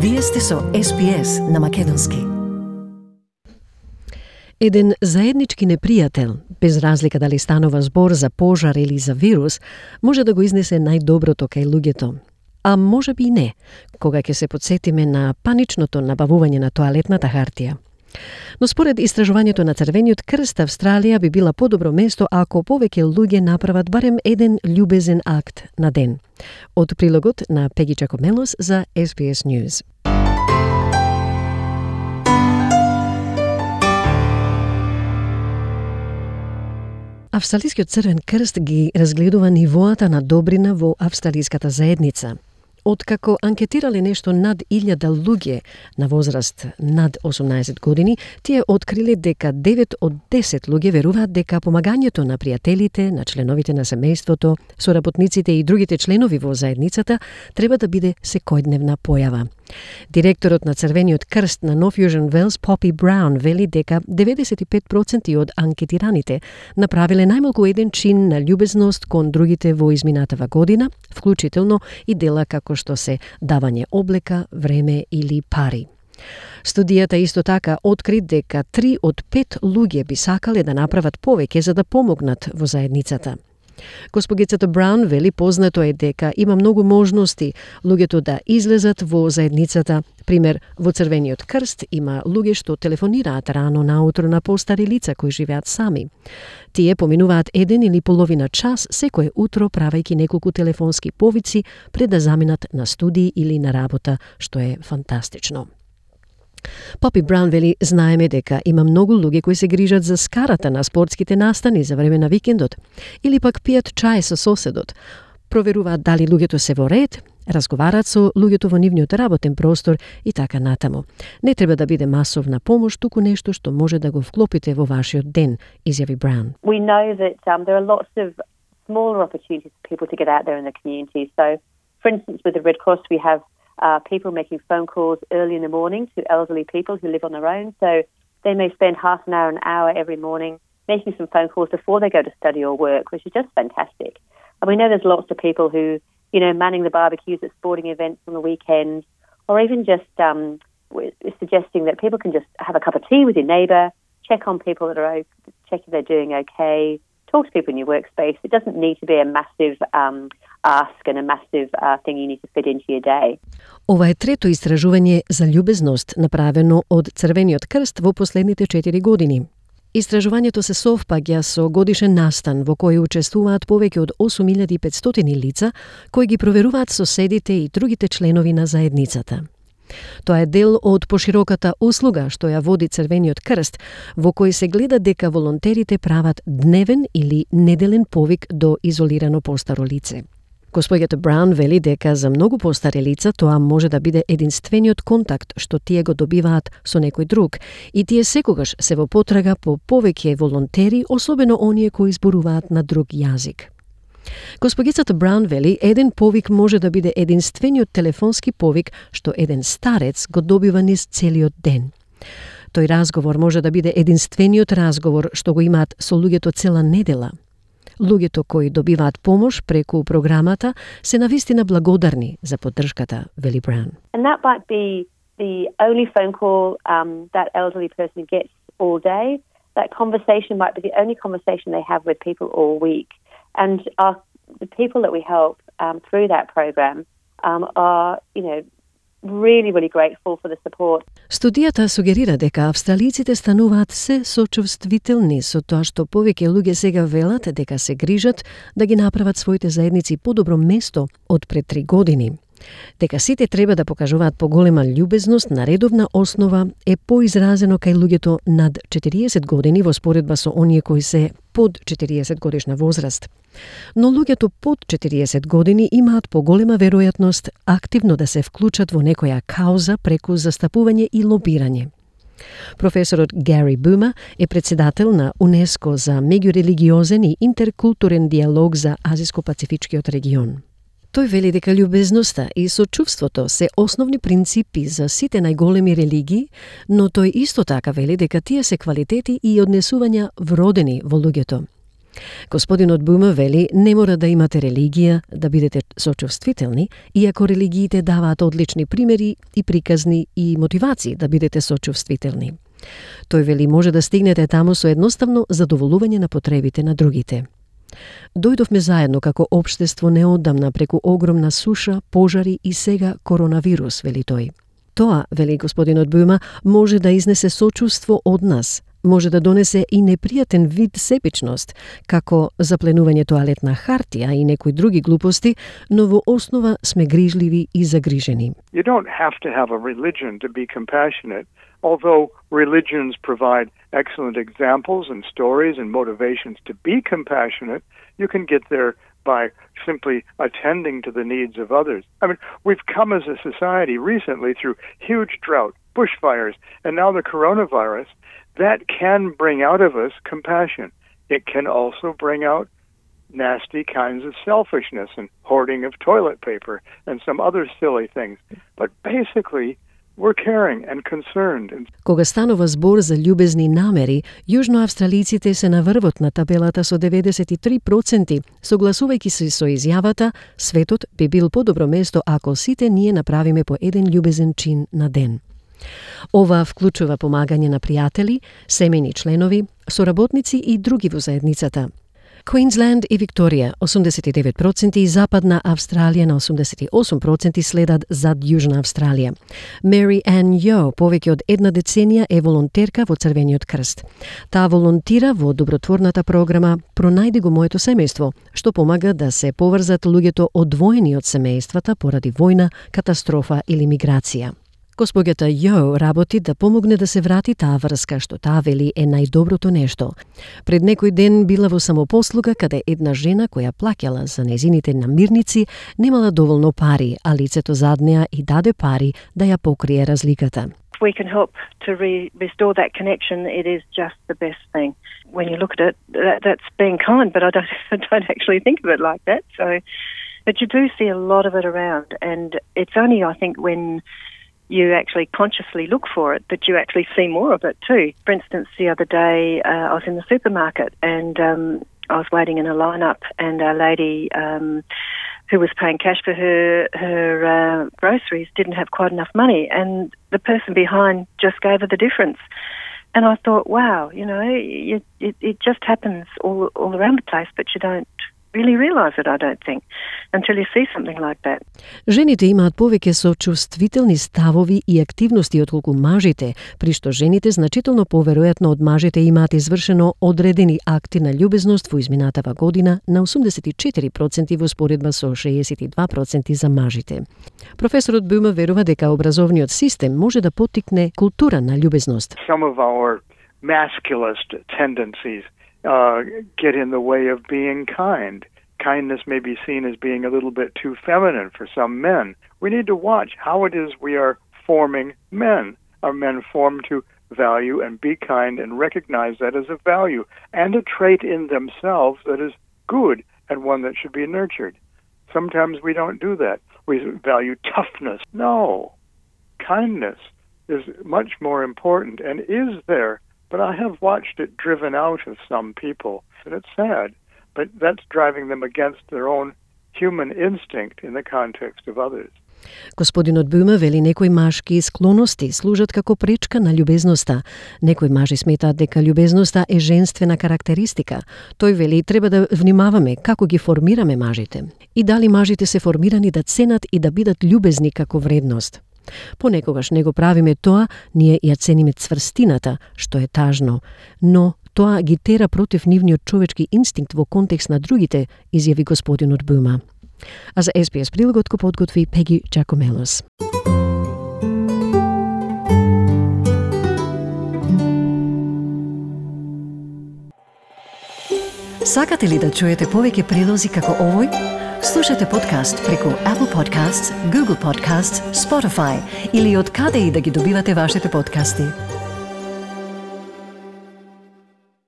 Вие сте со SPS на македонски. Еден заеднички непријател, без разлика дали станува збор за пожар или за вирус, може да го изнесе најдоброто кај луѓето. А може би и не, кога ќе се подсетиме на паничното набавување на тоалетната хартија. Но според истражувањето на Црвениот крст, Австралија би била подобро место ако повеќе луѓе направат барем еден љубезен акт на ден. Од прилогот на Пеги Чакомелос за SBS News. Австралискиот Црвен крст ги разгледува нивоата на добрина во австралиската заедница. Откако анкетирале нешто над 1000 луѓе на возраст над 18 години, тие откриле дека 9 од 10 луѓе веруваат дека помагањето на пријателите, на членовите на семејството, соработниците и другите членови во заедницата треба да биде секојдневна појава. Директорот на Црвениот крст на Нов Јужен Велс, Попи Браун, вели дека 95% од анкетираните направиле најмалку еден чин на љубезност кон другите во изминатава година, вклучително и дела како што се давање облека, време или пари. Студијата исто така откри дека 3 од 5 луѓе би сакале да направат повеќе за да помогнат во заедницата. Госпогицата Браун вели познато е дека има многу можности луѓето да излезат во заедницата. Пример, во Црвениот крст има луѓе што телефонираат рано наутро на постари лица кои живеат сами. Тие поминуваат 1 или половина час секое утро правејќи неколку телефонски повици пред да заминат на студии или на работа, што е фантастично. Попи Браун вели, знаеме дека има многу луѓе кои се грижат за скарата на спортските настани за време на викендот, или пак пијат чај со соседот, проверуваат дали луѓето се во ред, разговараат со луѓето во нивниот работен простор и така натаму. Не треба да биде масовна помош, туку нешто што може да го вклопите во вашиот ден, изјави Браун. We know that there are lots of smaller opportunities for people to get out there in the community. So, for instance, with the Red Cross, we have people making phone calls early in the morning to elderly people who live on their own. So they may spend half an hour every morning making some phone calls before they go to study or work, which is just fantastic. And we know there's lots of people who, manning the barbecues at sporting events on the weekend, or even just suggesting that people can just have a cup of tea with your neighbour, check on people that are check if they're doing okay, talk to people in your workspace. It doesn't need to be a massive ask and a massive thing you need to fit into your day. Ова е трето истражување за љубезност направено од Црвениот крст во последните 4 години. Истражувањето се совпаѓа со годишен настан во кој учествуваат повеќе од 8500 лица кои ги проверуваат соседите и другите членови на заедницата. Тоа е дел од пошироката услуга што ја води Црвениот крст, во кој се гледа дека волонтерите прават дневен или неделен повик до изолирано постаро лице. Госпоѓата Браун вели дека за многу постари лица тоа може да биде единствениот контакт што тие го добиваат со некој друг и тие секогаш се во потрага по повеќе волонтери, особено оние кои зборуваат на друг јазик. Госпогицата Браун вели, еден повик може да биде единствениот телефонски повик што еден старец го добива низ целиот ден. Тој разговор може да биде единствениот разговор што го имаат со луѓето цела недела. Луѓето кои добиваат помош преку програмата се навистина благодарни за поддршката, вели Браун. And that might be the only phone call that elderly person gets all day. That conversation might be the only conversation they have with people all week. And the people that we help through that program are, really, really grateful for the support. Студијата сугерира дека австралиците стануваат се сочувствителни со тоа што повеќе луѓе сега велат дека се грижат да ги направат своите заедници подобро место од пред 3 години. Дека сите треба да покажуваат поголема љубезност на редовна основа е поизразено кај луѓето над 40 години во споредба со оние кои се под 40 годишна возраст. Но луѓето под 40 години имаат поголема веројатност активно да се вклучат во некоја кауза преку застапување и лобирање. Професорот Гари Бума е председател на УНЕСКО за меѓурелигиозен и интеркултурен диалог за Азиско-Пацифичкиот регион. Тој вели дека љубезноста и сочувството се основни принципи за сите најголеми религии, но тој исто така вели дека тие се квалитети и однесувања вродени во луѓето. Господинот Бума вели, не мора да имате религија да бидете сочувствителни, иако религиите даваат одлични примери и приказни и мотивации да бидете сочувствителни. Тој вели, може да стигнете таму со едноставно задоволување на потребите на другите. Дојдовме заедно како општество неодамна преку огромна суша, пожари и сега коронавирус, вели тој. Тоа, вели господинот Бума, може да изнесе сочувство од нас, може да донесе и непријатен вид себичност, како запленување тоалетна хартија и некои други глупости, но во основа сме грижливи и загрижени. You don't have to have a religion to be compassionate, although religions provide excellent examples and stories and motivations to be compassionate. You can get there by simply attending to the needs of others. I mean, we've come as a society recently through huge drought, bushfires, and now the coronavirus. That can bring out of us compassion. It can also bring out nasty kinds of selfishness and hoarding of toilet paper and some other silly things. But basically, we're caring and concerned. Кога станува збор за љубезни намери, јужноавстралиците се на врвот на табелата со 93%, согласувајќи се со изјавата, светот би бил подобро место ако сите ние направиме по еден љубезен чин на ден. Ова вклучува помагање на пријатели, семејни членови, соработници и други во заедницата. Квинсленд и Викторија 89% и Западна Австралија на 88% следат зад Јужна Австралија. Мери Ан Јо повеќе од една деценија е волонтерка во Црвениот крст. Таа волонтира во добротворната програма Пронајди го моето семејство, што помага да се поврзат луѓето одвоени од семејствата поради војна, катастрофа или миграција. Госпоѓата Јо работи да помогне да се врати таа врска, што таа вели е најдоброто нешто. Пред некој ден била во самопослуга каде една жена која плаќала за незините намирници немала доволно пари, а лицето зад неа и даде пари да ја покрие разликата. We can help to restore that connection. It is just the best thing. When you look at it, that's being kind, but I don't actually think of it like that. So, but you do see a lot of it around, and it's only, I think, when you actually consciously look for it that you actually see more of it too. For instance, the other day I was in the supermarket and I was waiting in a lineup, and a lady who was paying cash for her groceries didn't have quite enough money, and the person behind just gave her the difference. And I thought, wow, you know, it just happens all around the place, but you don't really realize it, I don't think, until you see something like that. Жените имаат повеќе сочувствителни ставови и активности отколку мажите, при што жените значително поверојатно од мажите имаат извршено одредени акти на љубезност во изминатава година на 84% во споредба со 62% за мажите. Професорот Бума верува дека образовниот систем може да поттикне култура на љубезност. Some of our masculist tendencies get in the way of being kind. Kindness may be seen as being a little bit too feminine for some men. We need to watch how it is we are forming men. Are men formed to value and be kind and recognize that as a value and a trait in themselves that is good and one that should be nurtured? Sometimes we don't do that. We value toughness. No. Kindness is much more important and is there. But I have watched it driven out of some people, and it's sad. But that's driving them against their own human instinct in the context of others. Господинот Бума вели некои машки склоности служат како пречка на љубезноста. Некои мажи сметаат дека љубезноста е женствена карактеристика. Тој вели треба да внимаваме како ги формираме мажите и дали мажите се формирани да ценат и да бидат љубезни како вредност. Понекогаш не го правиме тоа, ние ја цениме цврстината, што е тажно, но тоа ги тера против нивниот човечки инстинкт во контекст на другите, изјави господинот Бума. А за SBS прилогот го подготви Пеги Джакомелос. Сакате ли да чуете повеќе прилози како овој? Слушате подкаст преку Apple Podcasts, Google Podcasts, Spotify или од каде и да ги добивате вашите подкасти.